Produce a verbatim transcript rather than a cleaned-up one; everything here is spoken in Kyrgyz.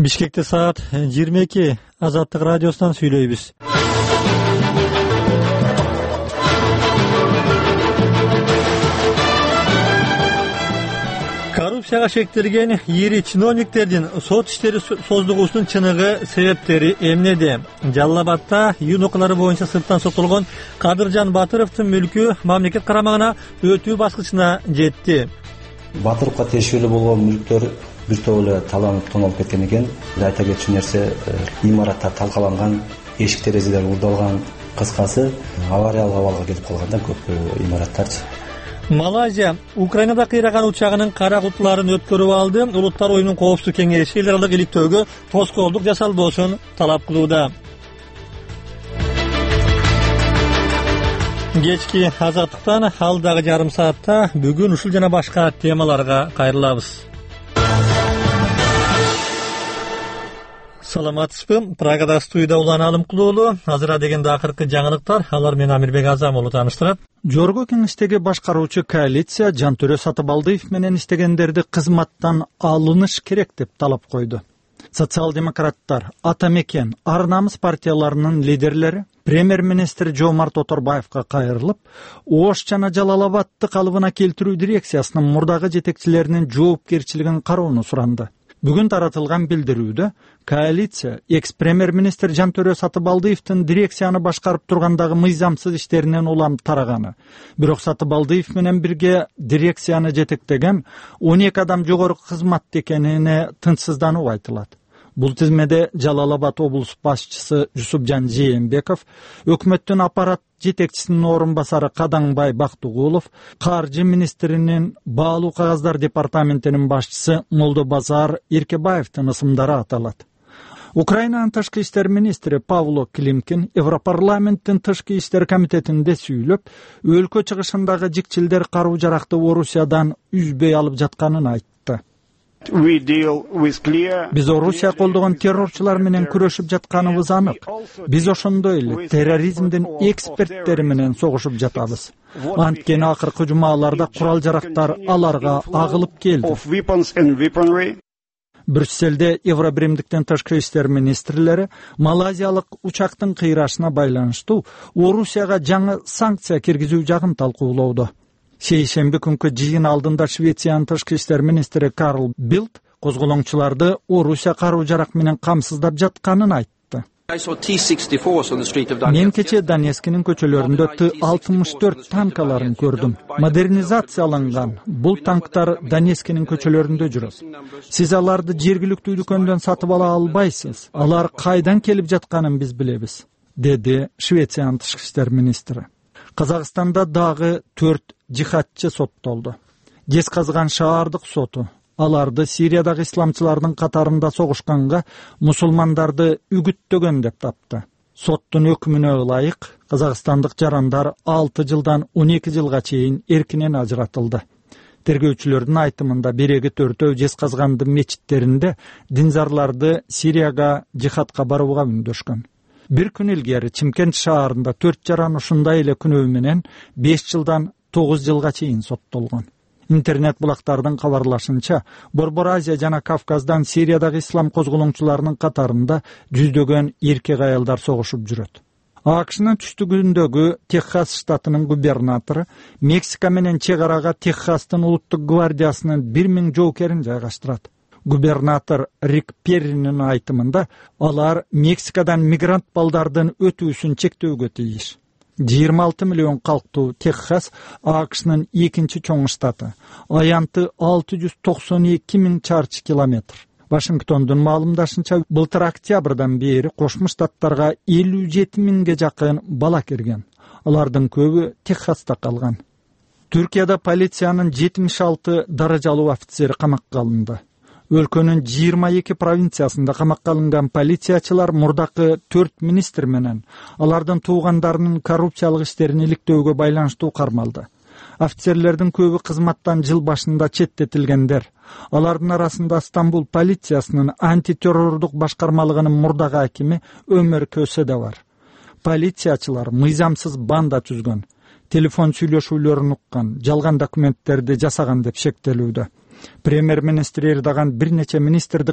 Бишкекте саат жыйырма эки. Азаттык радиосунан сүйлөйбүз. Коррупцияга шектелген ири чиновниктердин сот иштери создугусунун чыныгы себептери эмнеде? Жалал Абадта июнь окуялары боюнча сырттан соттолгон Кадыржан Батыровдун мүлкү мамлекет карамагына өтүү баскычына жетти. Батыровго тиешелүү болгон мүлктөр бир топ эле таланып тоналып кеткен экен. Айта кетчү нерсе, имаратта талкаланган, эшик терезелер урдалган, кыскасы авариялык абалга келип калган да көп имараттарчы. Малайзия Украинада кыйраган учагынын кара кутуларын өткөрүп алды. Улуттар оюнунун коопсуздук кеңеши эл аралык иликтөөгө тоскоолдук жасалбоосун талап кылууда. Кечки азаттыктан алдагы жарым саатта бүгүн ушул жана башка темаларга кайрылабыз. Саламатсызбы? Прагада студияда Улан Алымкулуулу. Азыр дегенде акыркы жаңылыктар, алар менен Амирбек Азам болуп тааныштырат. Жогорку кеңештеги башкаруучу коалиция Жантөрө Сатыбалдиев менен иштегендерди кызматтан алыныш керек деп талап койду. Социал-демократтар, Ата Мекен, Ар Намыс партияларынын лидерлери премьер-министр Жомарт Оторбаевга кайрылып, Ош жана Жалал Абадты калыбына келтирүү дирекциясынын мурдагы жетекчилеринин жоопкерчилигин кароону суранды. Бүгүн таратылган билдирүүдө коалиция экс-премьер-министр Жантөрө Сатыбалдиевдин дирекцияны башкарып тургандагы мыйзамсыз иштеринен улам тараганы, бирок Сатыбалдиев менен бирге дирекцияны жетектеген он эки адам жогорку кызматта экенине тынчсыздануу айтылат. Бул тизмеде Жалал Абад облус башчысы Жусупжан Жээнбеков, өкмөттүн аппарат жетекчисинин орун басары Кадаңбай Бактыгулов, каржы министринин баалуу кагаздар департаментинин башчысы Молдобазар Эркебаевдин ысымдары аталат. Украинанын тышкы иштер министри Павло Климкин Европарламенттин тышкы иштер комитетинде сүйлөп, өлкө чыгышындагы жикчилдер каруу жаракты Орусиядан үзбөй алып жатканын айтты. Биз Орусия колдогон террорчулар менен күрөшүп жатканыбыз анык. Биз ошондой эле терроризмдин эксперттери менен согушуп жатабыз. Анткени акыркы жумаларда курал жарактар аларга агылып келди. Брюсселде Евробиримдиктин тышкы иштер министрлери малайзиялык учактын кыйрашына байланыштуу Орусияга жаңы санкция киргизүү жагын талкуулоодо. Шейшемби күнкү жыйын алдында Швециянын тышкы иштер министри Карл Билд козголоңчуларды Орусия каруу жарак менен камсыздап жатканын айтты. Мен кечээ Донецктин көчөлөрүндө Т алтымыш төрт танкаларын көрдүм. Модернизацияланган бул танктар Донецктин көчөлөрүндө жүрөт. Сиз аларды жергиликтүү дүкөндөн сатып ала албайсыз. Алар кайдан келип жатканын биз билебиз, деди Швециянын тышкы иштер министри. Казакстанда дагы төрт жихадчы соттолду. Жезказган шаардык соту аларды Сириядагы исламчылардын катарында согушканга мусулмандарды үгүттөгөн деп тапты. Соттун өкүмүнө ылайык казакстандык жарандар алты жылдан он эки жылга чейин эркинен ажыратылды. Тергөөчүлөрдүн айтымында биреги төртөө Жезказгандын мечиттеринде динзарларды Сирияга жихадка барууга үндөшкөн. Бир күн илгери Чимкент шаарында төрт жаран ушундай эле күнөө менен беш жылдан тогуз жылга чейин соттолгон. Интернет булактардын кабарлашынча, Борбор Азия жана Кавказдан Сириядагы ислам козголоңчуларынын катарында жүздөгөн эркек аялдар согушуп жүрөт. АКШнын түштүгүндөгү Техас штатынын губернатору Мексика менен чек арага Техастын улуттук гвардиясынын бир миң жоокерин жайгаштырат. Губернатор Рик Перринин айтымында алар Мексикадан мигрант балдардын өтүүсүн чектөөгө тийиш. жыйырма алты миллион калктуу Техас АКШнын экинчи чоң штаты. Аянты алты жүз токсон эки миң чарчы километр. Вашингтондун маалымдашынча, былтыр октябрдан бери Кошмо Штаттарга элүү жети миңге жакын бала кирген. Алардын көбү Техаста калган. Түркияда полициянын жетимиш алты даражалуу офицери камакка алынды. Өлкөнүн жыйырма эки провинциясында камакка алынган полициячылар мурдакы төрт министр менен алардын туугандарынын коррупциялык иштерин иликтөөгө байланыштуу кармалды. Офицерлердин көбү кызматтан жыл башында четтетилгендер. Алардын арасында Стамбул полициясынын антитеррордук башкармалыгынын мурдагы акими Өмөр Көсө да бар. Полициячылар мыйзамсыз банда түзгөн, телефон сүйлөшүүлөрүн уккан, жалган документтерди жасаган деп шектелүүдө. Премьер-министр Эрдоган бир нече министрди